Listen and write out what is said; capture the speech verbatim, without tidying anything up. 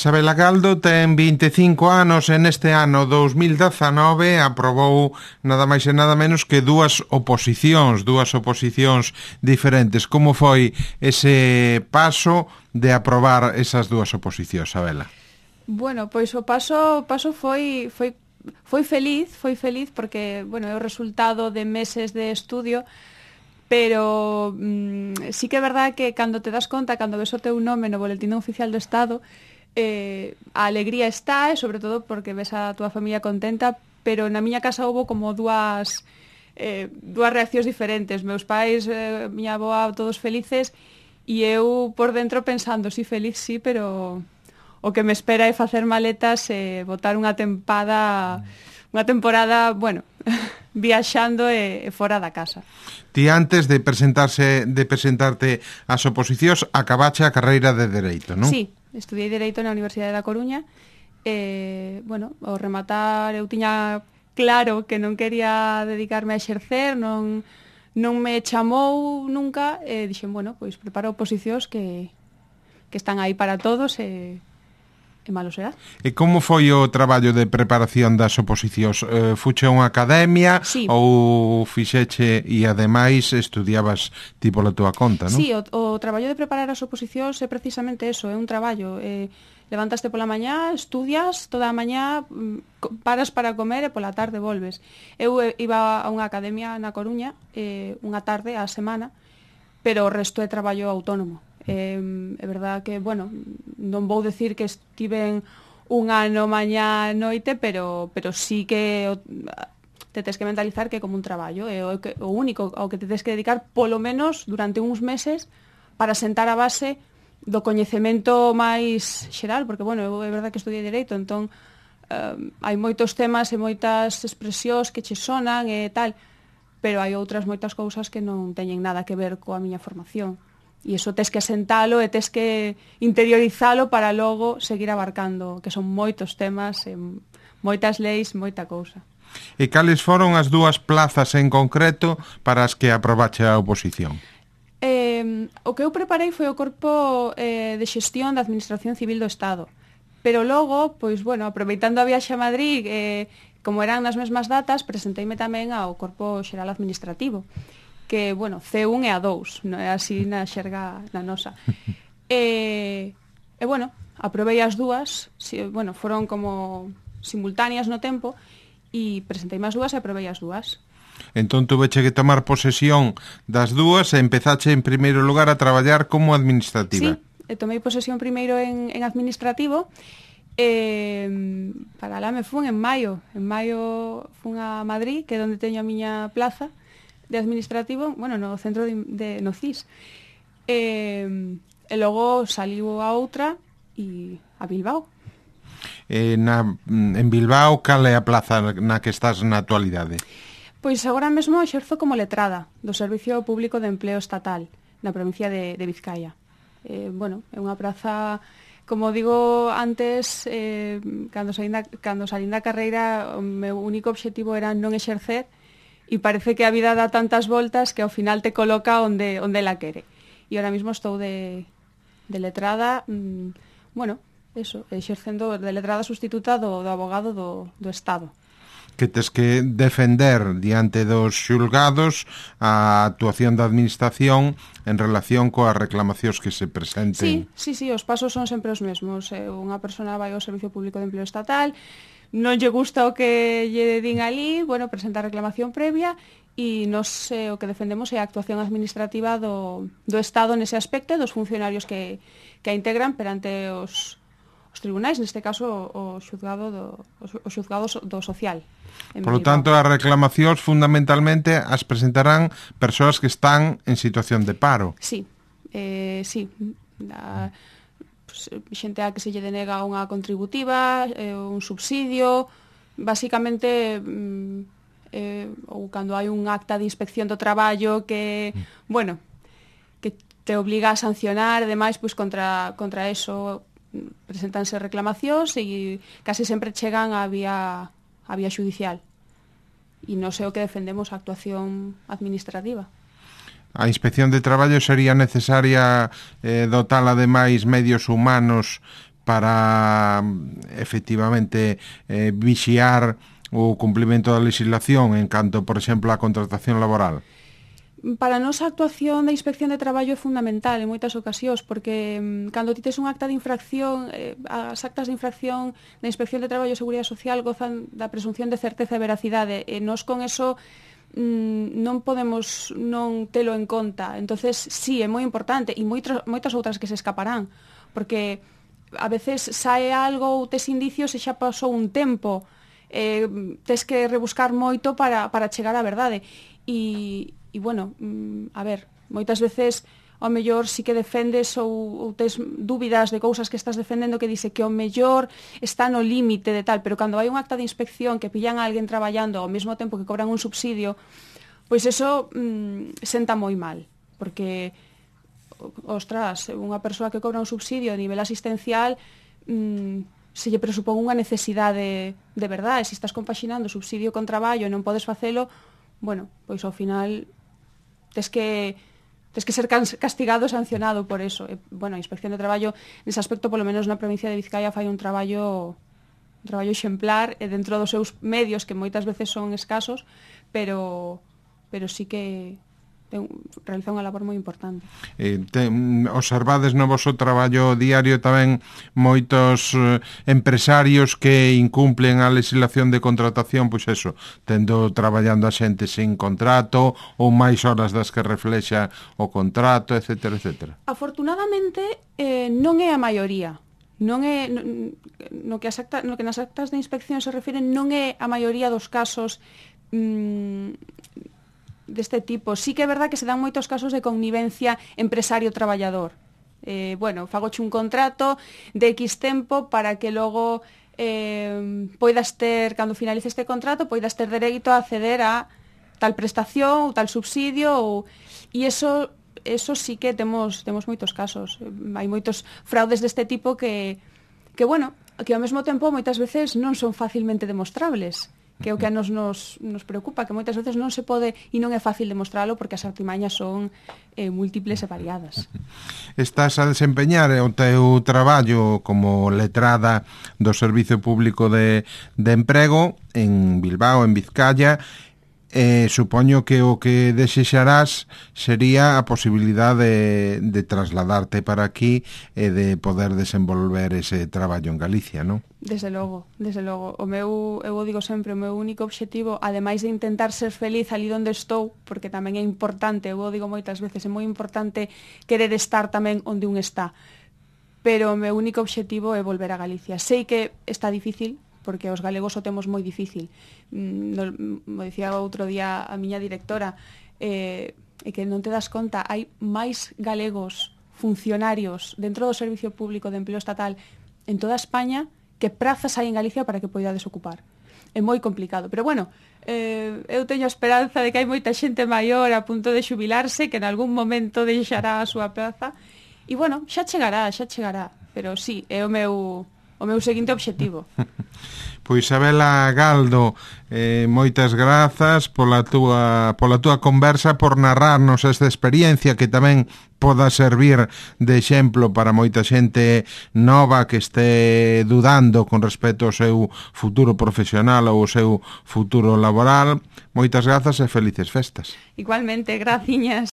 Sabela Galdo ten vinte e cinco anos e neste ano dous mil dezanove aprobou nada máis e nada menos que dúas oposicións, dúas oposicións diferentes. Como foi ese paso de aprobar esas dúas oposicións, Sabela? Bueno, pois o paso, o paso foi, foi, foi feliz, foi feliz porque, bueno, é o resultado de meses de estudio, pero mmm, sí que é verdad que cando te das conta, cando ves o teu nome no Boletín Oficial do Estado, eh, a alegría está, e sobre todo porque ves a túa familia contenta, pero na miña casa houve como dúas eh, dúas reaccións diferentes. Meus pais, eh, miña avoa, todos felices, e eu por dentro pensando, sí, feliz, sí, pero o que me espera é facer maletas e botar unha tempada, unha temporada, bueno, viaxando e, e fora da casa. Ti antes de presentarse de presentarte ás oposicións acabache a carreira de Dereito, non? Sí, estudiei Dereito na Universidade da Coruña e, bueno, ao rematar eu tiña claro que non quería dedicarme a exercer, non, non me chamou nunca e dixen, bueno, pois preparo oposicións que, que están aí para todos e e malo será. E como foi o traballo de preparación das oposicións? Eh, fuche a unha academia sí. ou fixeche e ademais estudiabas ti pola túa conta, non? Sí, o, o traballo de preparar as oposicións é precisamente eso, é un traballo. Eh, levantaste pola mañá, estudias toda a mañá, paras para comer e pola tarde volves. Eu iba a unha academia na Coruña eh, unha tarde á semana, pero o resto é traballo autónomo. Eh, é verdad que, bueno, non vou decir que estiven un ano mañá noite, pero, pero sí que o, te tes que mentalizar que é como un traballo, é o, o único ao que te tes que dedicar polo menos durante uns meses para sentar a base do coñecemento máis xeral, porque, bueno, é verdad que estudiei Dereito, entón eh, hai moitos temas e moitas expresións que che sonan e tal, pero hai outras moitas cousas que non teñen nada que ver coa miña formación. E iso tes que asentalo e tes que interiorizalo para logo seguir abarcando, que son moitos temas, moitas leis, moita cousa. E cales foron as dúas plazas en concreto para as que aprobache a oposición? Eh, o que eu preparei foi o Corpo eh, de Xestión da Administración Civil do Estado. Pero logo, pois, bueno, aproveitando a viaxe a Madrid, eh, como eran nas mesmas datas, presenteime tamén ao Corpo Xeral Administrativo, que, bueno, C un e A dous, non é así na xerga na nosa. E, e bueno, aprobei as dúas, si, bueno, foron como simultáneas no tempo, e presenteime as dúas e aprobei as dúas. Entón tuveche que tomar posesión das dúas e empezache en primeiro lugar a traballar como administrativa. Sí, tomei posesión primeiro en, en administrativo, e para lá me fun en maio. En maio fun a Madrid, que é onde teño a miña plaza de administrativo, bueno, no centro de, de no C I S. E, e logo saliu a outra e a Bilbao. E na, en Bilbao, cal é a plaza na que estás na actualidade? Pois agora mesmo exerzo como letrada do Servicio Público de Empleo Estatal na provincia de, de Vizcaya. Eh, bueno, é unha praza, como digo antes, eh, cando salín da, cando salín da carreira, o meu único obxectivo era non exercer, e parece que a vida dá tantas voltas que ao final te coloca onde, onde la quere. E ahora mismo estou de, de letrada, mmm, bueno, eso, exercendo de letrada sustituta do, do abogado do, do Estado. Que tes que defender diante dos xulgados a actuación da administración en relación coas reclamacións que se presenten. Sí, sí, sí, os pasos son sempre os mesmos. Eh, unha persona vai ao Servicio Público de Empleo Estatal, non lle gusta o que lle din ali, bueno, presenta a reclamación previa e nos eh, o que defendemos é a actuación administrativa do, do Estado nese aspecto e dos funcionarios que, que a integran perante os, os tribunais, neste caso o xuzgado do, o xuzgado do social. Por lo tanto, as reclamacións fundamentalmente as presentarán persoas que están en situación de paro. Sí, eh, sí, a, xente a que se lle denega unha contributiva, eh, un subsidio, basicamente eh, ou cando hai un acta de inspección do traballo que, mm. bueno, que te obliga a sancionar, ademais, pois contra, contra eso presentanse reclamacións e casi sempre chegan a vía, a vía judicial. E non sei o que defendemos a actuación administrativa. A Inspección de Traballo sería necesaria eh, dotar ademais medios humanos para efectivamente eh, vixiar o cumprimento da legislación en canto, por exemplo, a contratación laboral? Para nós a actuación da Inspección de Traballo é fundamental en moitas ocasións, porque mm, cando ti tes un acta de infracción, eh, as actas de infracción da Inspección de Traballo e Seguridade Social gozan da presunción de certeza e veracidade, e nós con eso mm, non podemos non telo en conta. Entonces, sí, é moi importante, e moitas, moitas outras que se escaparán, porque a veces sae algo ou tes indicios e xa pasou un tempo, eh, tes que rebuscar moito para, para chegar á verdade. E, e bueno, a ver, moitas veces ao mellor si que defendes ou, ou tes dúbidas de cousas que estás defendendo que dice que ao mellor está no límite de tal, pero cando hai un acta de inspección que pillan a alguén traballando ao mesmo tempo que cobran un subsidio, pois eso mmm, senta moi mal, porque ostras, unha persoa que cobra un subsidio a nivel asistencial mmm, se lle presupón unha necesidade de verdade, se estás compaxinando subsidio con traballo e non podes facelo, bueno, pois ao final tes que tes que ser castigado e sancionado por eso. E, bueno, a Inspección de Traballo nese aspecto, polo menos na provincia de Vizcaya, fai un traballo un traballo exemplar e dentro dos seus medios, que moitas veces son escasos, pero pero sí que ten, realiza unha labor moi importante. Eh, te, observades no vosso traballo diario tamén moitos eh, empresarios que incumplen a legislación de contratación, pois eso, tendo traballando a xente sin contrato ou máis horas das que reflexa o contrato, etcétera, etcétera. Afortunadamente, eh, non é a maioría. Non é no, no que as acta, no que nas actas de inspección se refiren, non é a maioría dos casos mmm, deste tipo. Sí que é verdad que se dan moitos casos de connivencia empresario-traballador. Eh, bueno, fagoche un contrato de X tempo para que logo eh, poidas ter, cando finalice este contrato, poidas ter dereito a acceder a tal prestación ou tal subsidio ou... e eso, eso sí que temos, temos moitos casos. Hai moitos fraudes deste tipo que, que, bueno, que ao mesmo tempo moitas veces non son facilmente demostrables, que é o que a nos, nos, nos preocupa, que moitas veces non se pode e non é fácil demostralo porque as artimañas son eh, múltiples e variadas. Estás a desempeñar o teu traballo como letrada do Servizo Público de, de Emprego en Bilbao, en Vizcaya. Eh, supoño que o que desexarás sería a posibilidade de, de trasladarte para aquí e de poder desenvolver ese traballo en Galicia, non? Desde logo, desde logo. O meu, eu o digo sempre, o meu único obxectivo, ademais de intentar ser feliz ali onde estou, porque tamén é importante, eu o digo moitas veces, é moi importante querer estar tamén onde un está, pero o meu único obxectivo é volver a Galicia. Sei que está difícil, porque os galegos o temos moi difícil. Mo dicía outro día a miña directora, eh, e que non te das conta, hai máis galegos funcionarios dentro do Servicio Público de Empleo Estatal en toda España que prazas hai en Galicia para que poidades ocupar. É moi complicado, pero bueno, eh, eu teño a esperanza de que hai moita xente maior a punto de xubilarse que en algún momento deixará a súa praza, e bueno, xa chegará, xa chegará, pero sí, é o meu... o meu seguinte obxectivo. Pois Sabela Galdo, eh, moitas grazas pola túa, pola túa conversa, por narrarnos esta experiencia que tamén poda servir de exemplo para moita xente nova que este dudando con respecto ao seu futuro profesional ou ao seu futuro laboral. Moitas grazas e felices festas. Igualmente, graciñas.